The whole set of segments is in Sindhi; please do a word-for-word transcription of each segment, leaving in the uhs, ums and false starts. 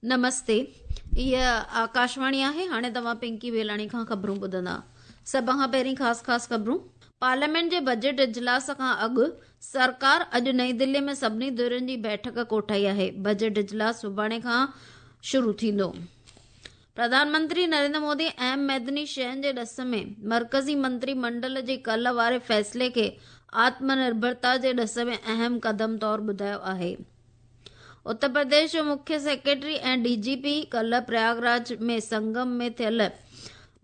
نمستي، هيء آڪاشواڻي آهي. هاڻي توهان پنڪي ويلاڻي کان خبرون ٻڌندا. سڀ کان پهرين خاص خاص خبرون. پارليامينٽ جي بجيٽ اجلاس کان اڳ سرڪار اڄ نئين دهلي ۾ سڀني ڌرين جي بيٺڪ ڪوٺائي آهي. بجيٽ اجلاس سڀاڻي کان شروع ٿيندو. پرڌان منتري نريندر مودي اهم معدني شين جي ڏس ۾ مرڪزي منتري منڊل جي ڪلهه واري فيصلي کي آتم نرڀرتا جي ڏس ۾ اهم قدم طور ٻڌايو آهي. اتر پرديش جو مکيه سيڪريٽري ۽ ڊي جي پي ڪلهه پرياگراج ۾ سنگم ۾ ٿيل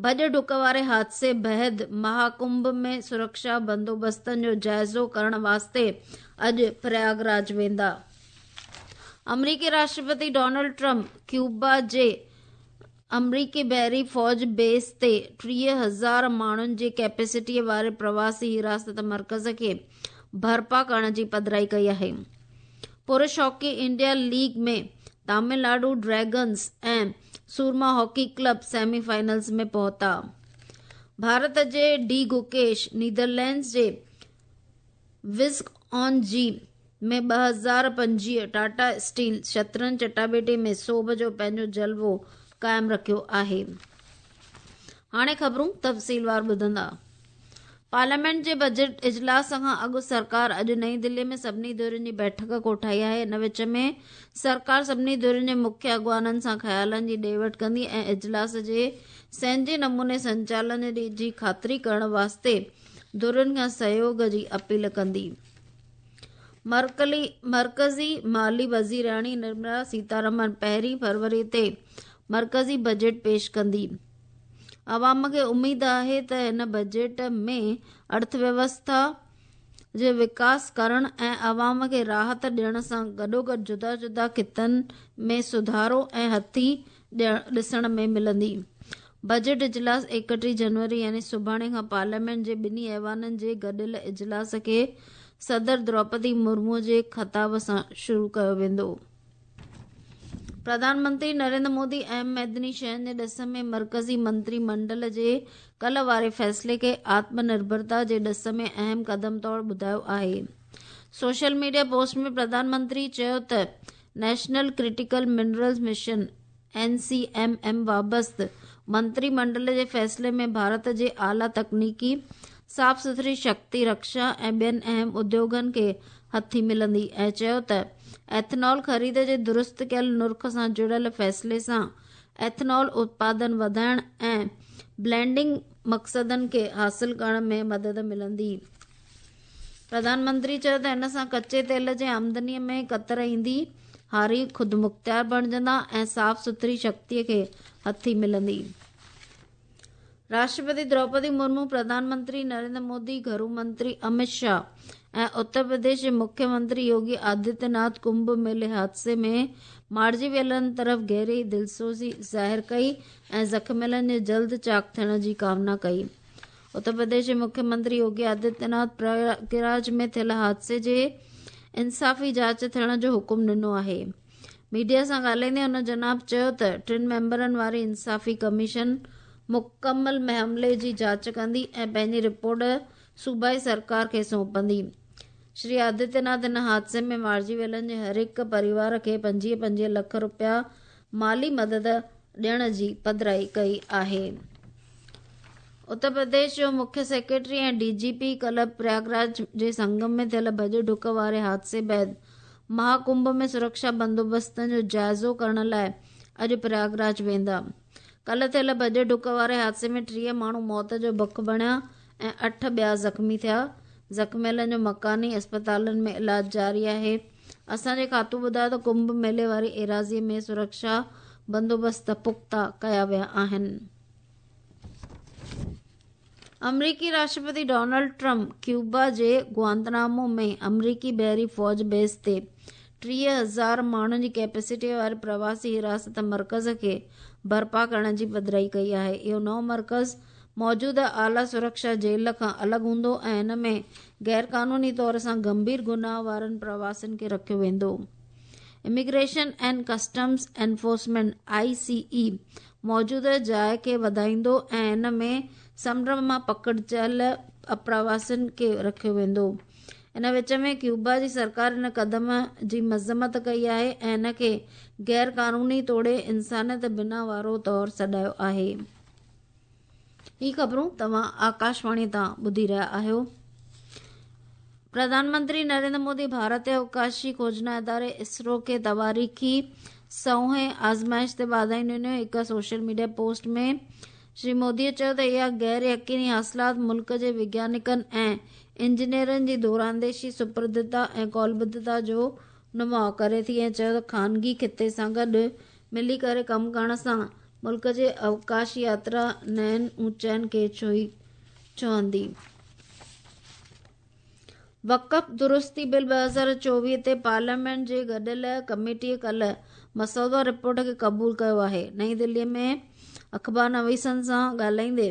ڀڄ ڊڪ واري حادثي بعد مهاڪنڀ ۾ سرڪشا بندوبستن جو جائزو ڪرڻ واسطي اڄ پرياگراج ويندا. آمريڪي راشٽرپتي ڊونلڊ ٽرمپ ڪيوبا جي آمريڪي بحري فوج بيس تي ٽيهه هزار ماڻهن جي ڪيپيسٽيء واري پرواسي حراست مرڪز کي برپا ڪرڻ جي پڌرائي ڪئي آهي. پرش hockey India league ۾ Tamil Nadu dragons ۽ Soorma hockey club semi finals ۾ پهتا. ڀارت جي ڊي گوڪيش نيدرلينڊز جي وسڪ آن زي ۾ ٻه هزار پنجويهه ٽاٽا اسٽيل شطرنج چٽاڀيٽي ۾ سوڀ جو پنهنجو جلوو قائم رکيو آهي. هاڻي خبرون تفصيلوار ٻڌندا. پارليامينٽ جي بجيٽ اجلاس کان اڳ سرڪار اڄ نئين دهلي ۾ سڀني ڌرين جي بيٺڪ ڪوٺائي آهي. ان وچ ۾ سرڪار سڀني ڌرين جي مکيه اڳواڻن سان خيالن جي ڏي وٺ ڪندي ۽ اجلاس جي سهنجي نموني سنچالن جي خاطري ڪرڻ واسطي ڌرين کان سهيوڳ جي اپيل ڪندي. مرڪزي مالي وزيرياڻي نرملا سيتارمن پهرين فروري تي مرڪزي بجيٽ پيش ڪندي. عوام کي اميد آهي ته هن بجيٽ ۾ ارٿويوسٿا جي وڪاس ڪرڻ ۽ عوام کي راحت ڏيڻ سان گڏوگڏ جدا جدا خطن ۾ سڌارو ۽ هٿي ڏسڻ ۾ ملندي. بجيٽ اجلاس ايڪٽيهه جنوري يعني سڀاڻي کان پارليامينٽ جي ٻنهي ايوانن جي گڏيل اجلاس کي صدر دروپدي مرمو جي خطاب سان شروع ڪيو ويندو. پرڌان منتري نريندر مودي اهم معدني شين جي ڏس ۾ مرڪزي منتري منڊل جي ڪلهه واري فيصلي کي آتم نرڀرتا جي ڏس ۾ اهم قدم طور ٻڌايو آهي. Social media post ۾ Pradhan Mantri چيو ته national critical minerals mission N C M M بابت منتري منڊل جي فيصلي ۾ ڀارت جي اعليٰ تڪنيڪي، صاف سٿري شڪتي، رڪشا ۽ ٻين اهم اديوگن کي هٿي ملندي ۽ چيو ته ايٿنول خريد جي درست ڪيل نرخ سان جڙيل فيصلي سان ايٿنول اتپادن وڌائڻ ۽ بلينڊنگ مقصدن کي حاصل ڪرڻ ۾ مدد ملندي. پرڌان منتري چيو ته ان سان ڪچي تيل جي آمدني ۾ ڪتر ايندي، هاري خودمختيار بڻجندا ۽ صاف سٿري شڪتي کي هٿي ملندي. راشٽرپتي دروپدي مرمو، پرڌان منتري نريندر مودي، گهرو منتري امت شاهه ۽ اتر پرديش جي مکيه منتري يوگي آدتيه ناٿ ڪنڀ ميلي حادثي ۾ مارجي ويلن طرف گهري دلسوزي ظاهر ڪئي ۽ زخميلن جي جلد چاق ٿيڻ جي ڪامنا ڪئي. اتر پرديش جي مکيه منتري يوگي آدتيه ناٿ پرياگراج ۾ ٿيل حادثي جي انصافي جاچ ٿيڻ جو حڪم ڏنو آهي. ميڊيا سان ڳالهائيندي هن جناب چيو ته ٽن ميمبرن واري انصافي ڪميشن مڪمل معاملي جي جاچ ڪندي ۽ پنهنجي رپورٽ صوبائي سرڪار کي سونپندي. شري آدتيه ناٿ هن حادثي ۾ مارجي ويلن جي هر هڪ پريوار کي پنجويهه پنجويهه لک رپيا مالي مدد ڏيڻ جي پڌرائي ڪئي آهي. اتر پرديش جو مکيه سيڪريٽري ۽ ڊي جي پي ڪلهه پرياگراج جي سنگم ۾ ٿيل ڀڄ ڊڪ واري حادثي بعد مهاڪنڀ ۾ سرڪشا بندوبستن جو جائزو ڪرڻ لاء اڄ پرياگراج ويندا. ڪلهه ٿيل ڀڄ ڊڪ واري حادثي ۾ ٽيهه ماڻهو موت جو بک بڻيا ۽ اٺ ٻيا زخمي ٿيا. زخميلن جو مڪاني اسپتالن ۾ علاج جاري آهي. اسان جي کاتو ٻڌايو ته ڪنڀ ميلي واري ايراضي ۾ سرڪشا بندوبست پختا ڪيا ويا آهن. آمريڪي راشٽرپتي ڊونلڊ ٽرمپ ڪيوبا جي گوانتانامو ۾ آمريڪي بحري فوج بيس تي ٽيهه هزار ماڻهن جي ڪيپيسٽي واري پرواسي حراست مرڪز کي برپا ڪرڻ جي پڌرائي ڪئي آهي. اهو نئون مرڪز موجوده اعليٰ سرڪشا جيل کان الڳ هوندو ۽ ان ۾ غيرقانوني طور سان گنڀير گناهه وارن پرواسين کي رکيو ويندو. Immigration and customs enforcement, I C E, موجوده جاء کي وڌائيندو ۽ ان ۾ سمنڊ مان پڪڙجيل اپرواسين کي رکيو ويندو. ان وچ ۾ ڪيوبا جي سرڪار ان قدم جي مذمت ڪئي آهي ۽ ان کي غير قانوني توڙي انسانيت بنا وارو طور سڏايو آهي. هي خبرون توهان آڪاشواڻي تان ٻڌي رهيا آهيو. پرڌان منتري نريندر مودي ڀارت جي اوڪاشي کوجنا اداري اسرو کي تواريخي سوهين آزمائش تي واڌايون ڏنيون. هڪ social media post ۾ Shri Modi چيو ته اها غير يقيني حاصلات ملڪ جي وگيانڪن ۽ انجنيئرن جي دورانديشي، سپردتا ۽ قولبڌتا جو نماء ڪري ٿي ۽ چيو ته خانگي خطي سان گڏ ملي ڪري ڪم ڪرڻ سان ملڪ جي اوڪاشي ياترا نين اوچائين کي ڇهي ڇهندي. وقف درستي بل ٻه هزار چوويهه تي پارليامينٽ جي گڏيل ڪميٽيءَ ڪالهه مسودو رپورٽ کي قبول ڪيو آهي. نئين دلي ۾ اخبار نويسن سان ڳالهائيندي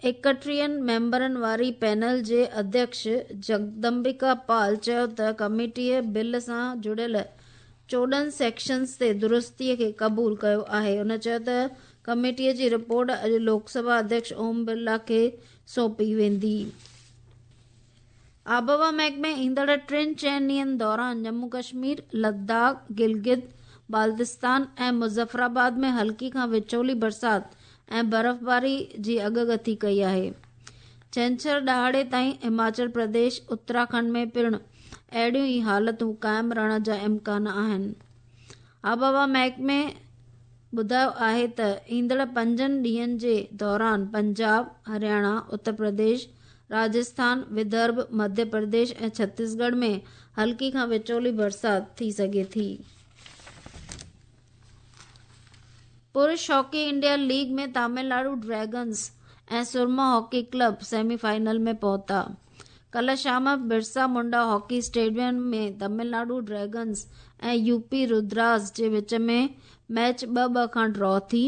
ايڪٽيهن ميمبرن واري پينل جي اڌيڪش جگدمبڪا پال چيو ته ڪميٽيءَ بل سان جڙيل چوڏهن سيڪشنز تي درستيءَ کي قبول ڪيو آهي. هن چيو ته ڪميٽيءَ جي رپورٽ اڄ لوڪ سڀا اڌيڪش اوم برلا کي سونپي ويندي. آبهوا محڪمي ايندڙ ٽن چئن ڏينهن دوران ڄمون ڪشمير، لداخ، گلگت بالتستان ۽ مظفرآباد ۾ هلڪي کان وچولي برسات ۽ برفباري جي اڳڪٿي ڪئي آهي. ڇنڇر ڏهاڙي تائين هماچل پرديش، اتراکنڊ ۾ پڻ اهڙيون ئي حالتون قائم رهڻ جا امڪان آهن. آبهوا محڪمي ٻڌايو آهي ته ايندڙ پنجن ڏينهن جي دوران پنجاب، هرياڻا، اتر پرديش، راجسٿان، ودرڀ، مڌيه پرديش ۽ ڇتيسڳڙهه ۾ هلڪي کان وچولي برسات ٿي سگهي ٿي. پرش hockey India league ۾ Tamil Nadu dragons ۽ Soorma hockey club semi final ۾ پهتا. ڪالهه شام Birsa Munda hockey stadium ۾ Tamil Nadu dragons ۽ U P Rudras جي وچ ۾ ميچ ٻه ٻه کان ڊرا ٿي،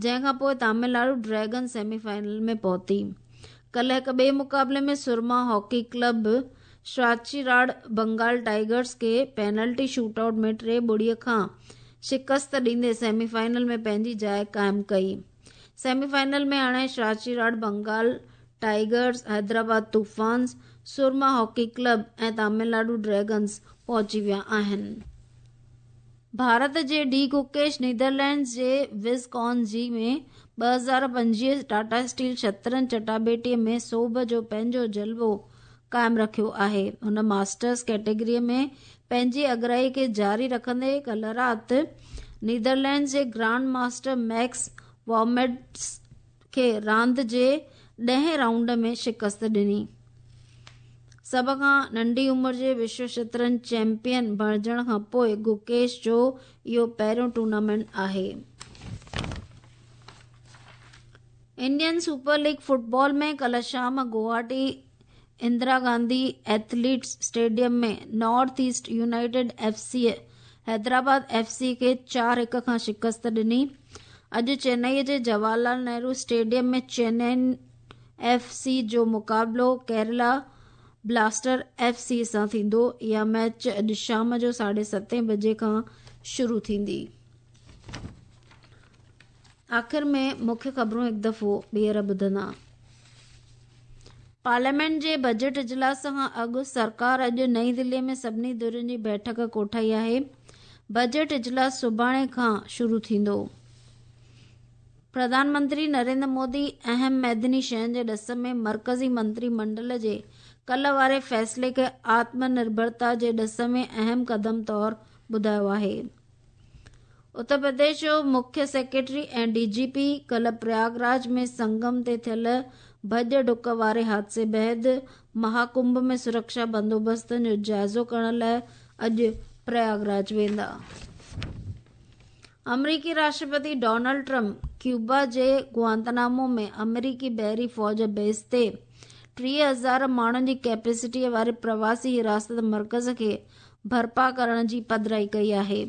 جنهن کان پوءِ Tamil Nadu dragons semi final ۾ پهتي. ڪالهه هڪ ٻئي مقابلي ۾ سورما هاڪي ڪلب شراچيراڊ بنگال ٽائيگرز کي پينلٽي شوٽ آئوٽ ۾ ٽي ٻڙيءَ کان شڪست ڏيندي سيمي فائنل ۾ پنهنجي جاءِ قائم ڪئي. سيمي فائنل ۾ هاڻي شراچيراڊ بنگال ٽائيگرز، حيدرآباد طوفانز، سورما هاڪي ڪلب ۽ تامل ناڊو ڊريگنز پهچي ويا آهن. ڀارت جي ڊي گوڪيش نيدرلينڊز جي وز ڪان زي ۾ ٻه هزار پنجويهه ٽاٽا اسٽيل شطرنج چٽاڀيٽيءَ ۾ سوڀ جو پنهنجو جلوو قائم رکيو آهي. هن ماسٽرز ڪيٽيگريءَ ۾ پنهنجي اڳرائي کي جاري رکندي ڪالهه رات نيدرلينڊز جي گرانڊ ماسٽر ميڪس وارميڊس کي راند جي ڏهين رائونڊ ۾ شڪست ڏني. سڀ کان ننڍي عمر جي وشو شطرنج چيمپيئن بڻجڻ کان پوءِ گوڪيش جو اهو پهريون ٽورنامينٽ آهي. انڊين سپر ليگ فٽبال ۾ ڪالهه شام Guwahati Indira Gandhi athletes stadium ۾ north east united F C Hyderabad F C کي چار هڪ کان شڪست ڏني. اڄ چنائي جي Jawahar Lal Nehru stadium ۾ Chennai F C جو مقابلو ڪيرالا بلاسٽر ايف سي سان ٿيندو. اها ميچ اڄ شام جو ساڍي ستين بجي کان شروع ٿيندي. آخر ۾ مکيه خبرون هڪ دفعو ٻيهر ٻڌندا. پارليامينٽ جي بجيٽ اجلاس کان اڳ سرڪار اڄ نئين دلي ۾ سڀني ڌرين جي بيٺڪ ڪوٺائي آهي. بجيٽ اجلاس سڀاڻي کان شروع ٿيندو. پرڌان منتري نريندر مودي اهم ميدني شين جي ڏس ۾ مرڪزي منتري منڊل جي ڪل واري فيصلي کي آتم نرڀرتا جي ڏس ۾ اهم قدم طور ٻڌايو آهي. اتر پرديش جو مکيه سيڪريٽري ۽ ڊي جي پي ڪالهه پرياگراج ۾ سنگم تي ٿيل ڀڄ ڊڪ واري حادثي بعد مهاڪنڀ ۾ سرڪشا بندوبستن جو جائزو ڪرڻ لاءِ اڄ پرياگراج ويندا. آمريڪي راشٽرپتي ڊونلڊ ٽرمپ ڪيوبا جي گوانتانامو ۾ آمريڪي بحري فوج بيس تي ٽيهه هزار ماڻهن جي ڪيپيسٽيءَ واري پرواسي حراست مرڪز کي برپا ڪرڻ جي پڌرائي ڪئي آهي.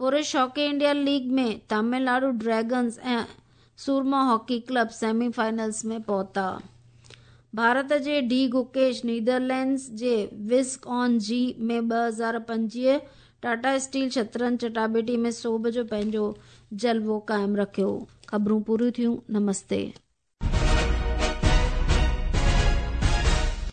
پرش hockey India league ۾ Tamil Nadu dragons ۽ Soorma hockey club semi finals ۾ پهتا. ڀارت جي ڊي گوڪيش نيدرلينڊز جي وز ڪان زي ۾ ٻه هزار پنجويهه ٽاٽا اسٽيل شطرنج چٽاڀيٽي ۾ سوڀ جو پنهنجو جلوو قائم رکيو. خبرون پوريون ٿيون. نمستي.